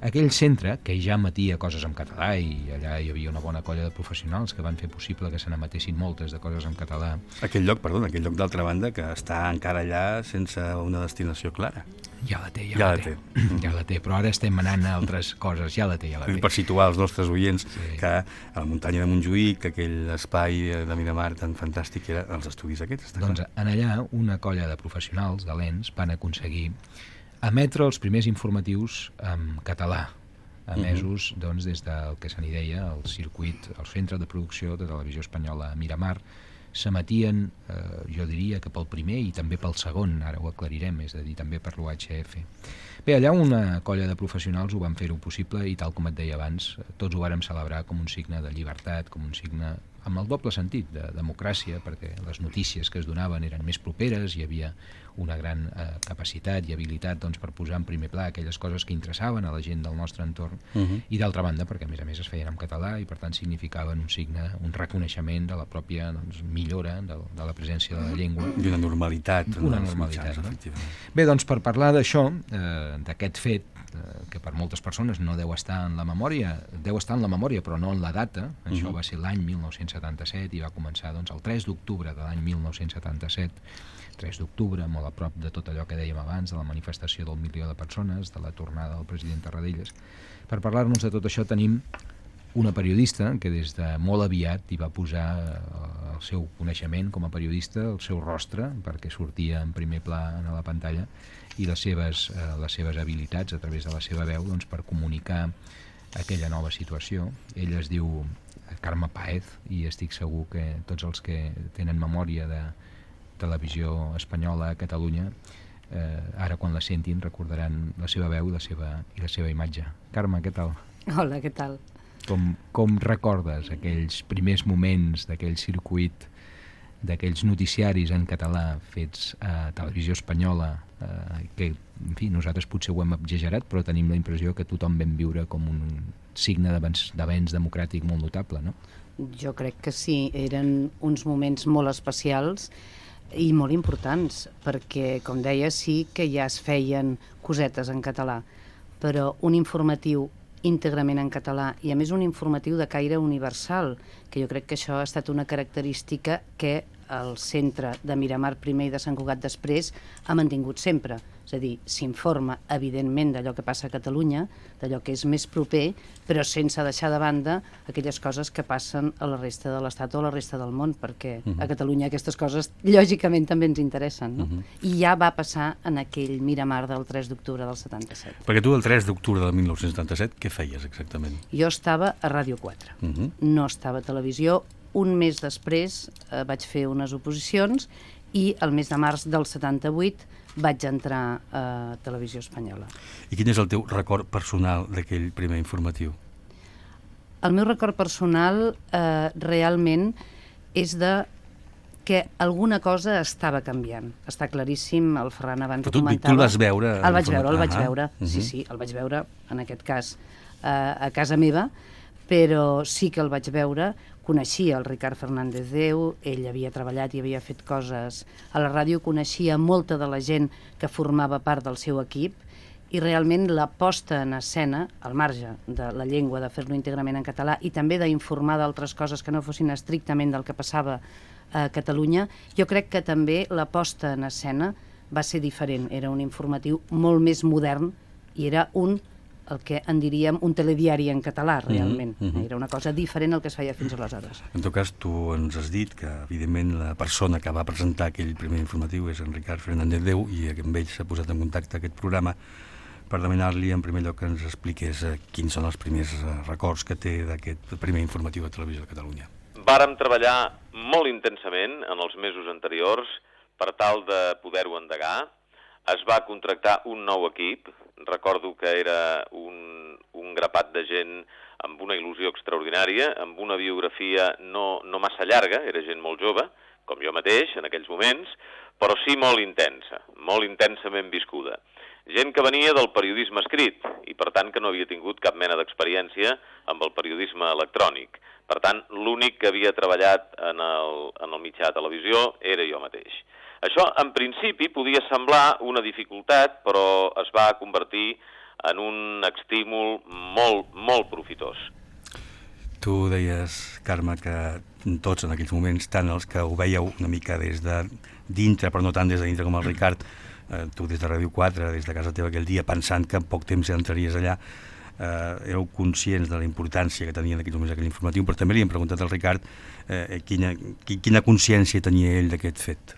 Aquell centre, que ja emetia coses en català, i allà hi havia una bona colla de professionals que van fer possible que se n'emetessin moltes de coses en català. Aquell lloc d'altra banda, que està encara allà sense una destinació clara. Ja la té, però ara estem anant a altres coses, ja la té. Per situar els nostres oients, que a la muntanya de Montjuïc, aquell espai de Miramar tan fantàstic era els estudis aquests. Doncs en allà una colla de professionals de l'ENS van aconseguir emetre els primers informatius en català, emesos doncs, des del que se n'hi deia el circuit, el centre de producció de televisió espanyola a Miramar. S'emetien, jo diria que pel primer i també pel segon, ara ho aclarirem, és a dir, també per l'UHF. Bé, allà una colla de professionals ho van fer-ho possible i, tal com et deia abans, tots ho vàrem celebrar com un signe de llibertat, com un signe amb el doble sentit de democràcia, perquè les notícies que es donaven eren més properes, hi havia una gran capacitat i habilitat doncs, per posar en primer pla aquelles coses que interessaven a la gent del nostre entorn, i d'altra banda perquè a més es feien en català i per tant significaven un signe, un reconeixement de la pròpia millora de la presència de la llengua. I una normalitat. Una normalitat, no? Bé, doncs per parlar d'això, d'aquest fet, que per moltes persones no deu estar en la memòria, però no en la data. Això va ser l'any 1977 i va començar doncs, el 3 d'octubre de l'any 1977, 3 d'octubre, molt a prop de tot allò que dèiem abans, de la manifestació del 1 milió de persones, de la tornada del president Tarradellas. Per parlar-nos de tot això tenim una periodista que des de molt aviat hi va posar el seu coneixement com a periodista, el seu rostre, perquè sortia en primer pla a la pantalla, i les seves habilitats a través de la seva veu doncs, per comunicar aquella nova situació. Ella es diu Carme Páez i estic segur que tots els que tenen memòria de televisió espanyola a Catalunya ara quan la sentin recordaran la seva veu i la seva imatge. Carme, què tal? Hola, què tal? Com recordes aquells primers moments d'aquell circuit, d'aquells noticiaris en català fets a televisió espanyola, que, en fi, nosaltres potser ho hem exagerat, però tenim la impressió que tothom vam viure com un signe d'avenç democràtic molt notable, no? Jo crec que sí, eren uns moments molt especials i molt importants, perquè, com deia, sí que ja es feien cosetes en català, però un informatiu íntegrament en català i a més un informatiu de caire universal, que jo crec que això ha estat una característica que el centre de Miramar primer i de Sant Cugat després ha mantingut sempre. És a dir, s'informa evidentment d'allò que passa a Catalunya, d'allò que és més proper, però sense deixar de banda aquelles coses que passen a la resta de l'Estat o a la resta del món, perquè a Catalunya aquestes coses lògicament també ens interessen, no? I ja va passar en aquell Miramar del 3 d'octubre del 77. Perquè tu el 3 d'octubre del 1977 què feies exactament? Jo estava a Ràdio 4, no estava a televisió. Un mes després vaig fer unes oposicions i el mes de març del 78 vaig entrar a Televisió Espanyola. I quin és el teu record personal d'aquell primer informatiu? El meu record personal realment és de que alguna cosa estava canviant. Està claríssim, el Ferran abans ho comentava. Tu el vas veure? El vaig veure, sí, el vaig veure, en aquest cas, a casa meva, però sí que el vaig veure. Coneixia el Ricard Fernández Déu, ell havia treballat i havia fet coses a la ràdio, coneixia molta de la gent que formava part del seu equip i realment la posta en escena, al marge de la llengua, de fer-lo íntegrament en català i també d'informar d'altres coses que no fossin estrictament del que passava a Catalunya, jo crec que també la posta en escena va ser diferent. Era un informatiu molt més modern i era el que en diríem un telediari en català, realment. Era una cosa diferent al que es feia fins aleshores. En tot cas, tu ens has dit que, evidentment, la persona que va presentar aquell primer informatiu és en Ricard Fernández Déu i amb ell s'ha posat en contacte aquest programa per demanar-li, en primer lloc, que ens expliqués quins són els primers records que té d'aquest primer informatiu de Televisió de Catalunya. Vàrem treballar molt intensament en els mesos anteriors per tal de poder-ho endegar. Es va contractar un nou equip. Recordo que era un grapat de gent amb una il·lusió extraordinària, amb una biografia no massa llarga, era gent molt jove, com jo mateix en aquells moments, però sí molt intensa, molt intensament viscuda. Gent que venia del periodisme escrit i per tant que no havia tingut cap mena d'experiència amb el periodisme electrònic. Per tant, l'únic que havia treballat en el mitjà de televisió era jo mateix. Això, en principi, podia semblar una dificultat, però es va convertir en un estímul molt, molt profitós. Tu deies, Carme, que tots en aquells moments, tant els que ho veieu una mica des de dintre, però no tant des de dintre com el Ricard, tu des de Ràdio 4, des de casa teva aquell dia, pensant que en poc temps ja entraries allà, éreu conscients de la importància que tenia en aquells moments aquell informatiu, però també li hem preguntat al Ricard quina consciència tenia ell d'aquest fet.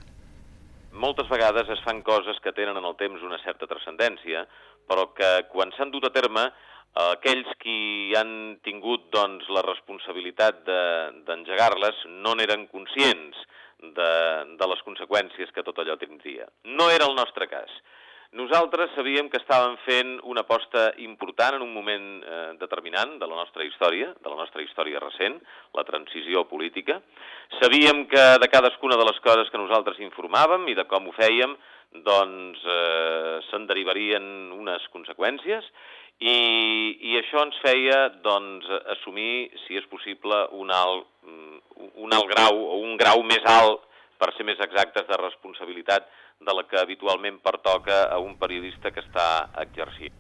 Moltes vegades es fan coses que tenen en el temps una certa transcendència, però que quan s'han dut a terme, aquells qui han tingut la responsabilitat d'engegar-les no n'eren conscients de les conseqüències que tot allò tindria. No era el nostre cas. Nosaltres sabíem que estàvem fent una aposta important en un moment determinant de la nostra història recent, la transició política. Sabíem que de cadascuna de les coses que nosaltres informàvem i de com ho fèiem, se'n derivarien unes conseqüències i això ens feia assumir, si és possible, un alt grau o un grau més alt, per ser més exactes, de responsabilitat de la que habitualment pertoca a un periodista que està exercint.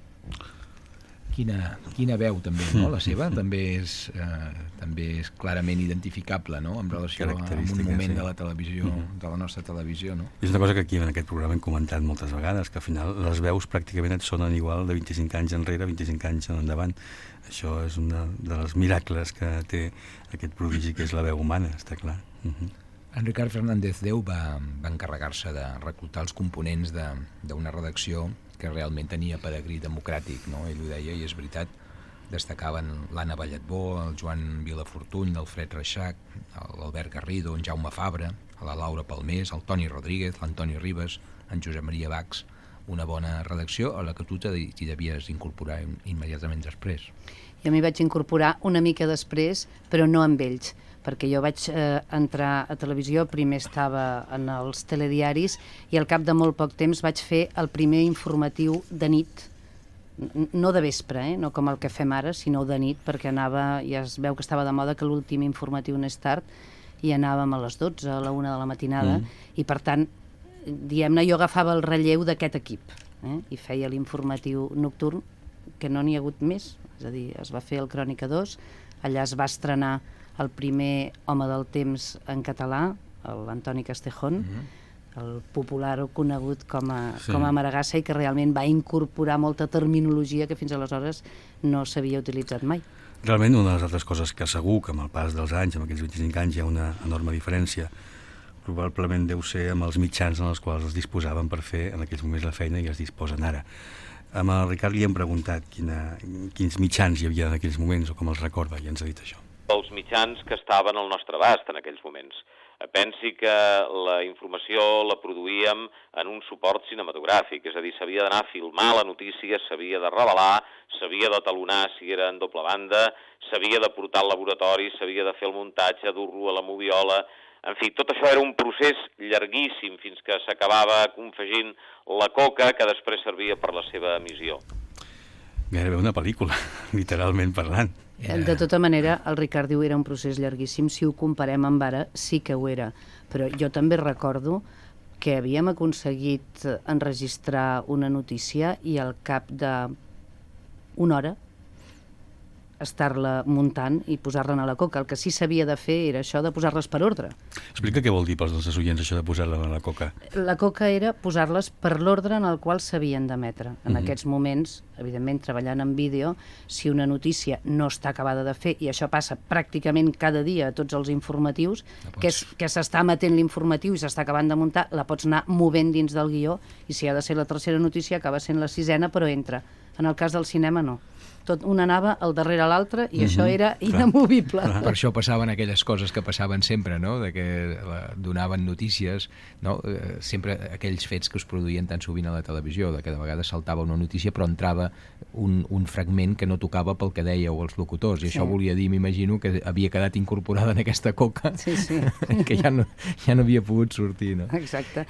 Quina veu també, no? La seva també és clarament identificable, no? En relació amb un moment de la televisió, de la nostra televisió, no? És una cosa que aquí en aquest programa hem comentat moltes vegades, que al final les veus pràcticament et sonen igual de 25 anys enrere, 25 anys en endavant. Això és un dels miracles que té aquest prodigi que és la veu humana, està clar. En Ricard Fernández Deu va encarregar-se de reclutar els components d'una redacció que realment tenia pedigrí democràtic, no? Ell ho deia, i és veritat. Destacaven l'Anna Balletbó, el Joan Vilafortuny, l'Alfred Reixac, l'Albert Garrido, en Jaume Fabra, la Laura Palmés, el Toni Rodríguez, l'Antoni Ribes, en Josep Maria Bax. Una bona redacció a la que tu t'hi devies incorporar immediatament després. Jo m'hi vaig incorporar una mica després, però no amb ells, perquè jo vaig entrar a televisió, primer estava en els telediaris i al cap de molt poc temps vaig fer el primer informatiu de nit, no de vespre, no com el que fem ara, sinó de nit, perquè ja es veu que estava de moda que l'últim informatiu anés tard i anàvem a les 12, a la 1 de la matinada, i per tant, diguem-ne, jo agafava el relleu d'aquest equip i feia l'informatiu nocturn, que no n'hi ha hagut més, és a dir, es va fer el Crònica 2, allà es va estrenar el primer home del temps en català, l'Antoni Castejón, el popular o conegut com a Maragassa, i que realment va incorporar molta terminologia que fins aleshores no s'havia utilitzat mai. Realment, una de les altres coses que segur que amb el pas dels anys, amb aquells 25 anys, hi ha una enorme diferència, probablement deu ser amb els mitjans en els quals es disposaven per fer en aquells moments la feina i es disposen ara. Amb el Ricard li hem preguntat quins mitjans hi havia en aquells moments o com els recorda, i ens ha dit això. Els mitjans que estaven al nostre abast en aquells moments. Pensi que la informació la produïem en un suport cinematogràfic, és a dir, s'havia d'anar a filmar la notícia, s'havia de revelar, s'havia de talonar si era en doble banda, s'havia de portar al laboratori, s'havia de fer el muntatge, dur-lo a la moviola. En fi, tot això era un procés llarguíssim fins que s'acabava confegint la coca que després servia per la seva emissió. Gairebé una pel·lícula, literalment parlant. De tota manera, el Ricard diu era un procés llarguíssim, si ho comparem amb ara sí que ho era, però jo també recordo que havíem aconseguit enregistrar una notícia i al cap d'una hora estar-la muntant i posar-la a la coca. El que sí s'havia de fer era això de posar-les per ordre. Explica què vol dir pels nostres oients això de posar-la a la coca. La coca era posar-les per l'ordre en el qual s'havien d'emetre. En aquests moments, evidentment, treballant en vídeo, si una notícia no està acabada de fer, i això passa pràcticament cada dia a tots els informatius, que s'està emetent l'informatiu i s'està acabant de muntar, la pots anar movent dins del guió, i si ha de ser la tercera notícia acaba sent la sisena, però entra. En el cas del cinema, no. Una anava al darrere l'altre i això era inamovible. Per això passaven aquelles coses que passaven sempre, no? De que donaven notícies, no? Sempre aquells fets que es produïen tan sovint a la televisió, de que de vegades saltava una notícia però entrava un fragment que no tocava pel que dèieu els locutors, i això volia dir, m'imagino, que havia quedat incorporada en aquesta coca, que ja no havia pogut sortir, no? Exacte.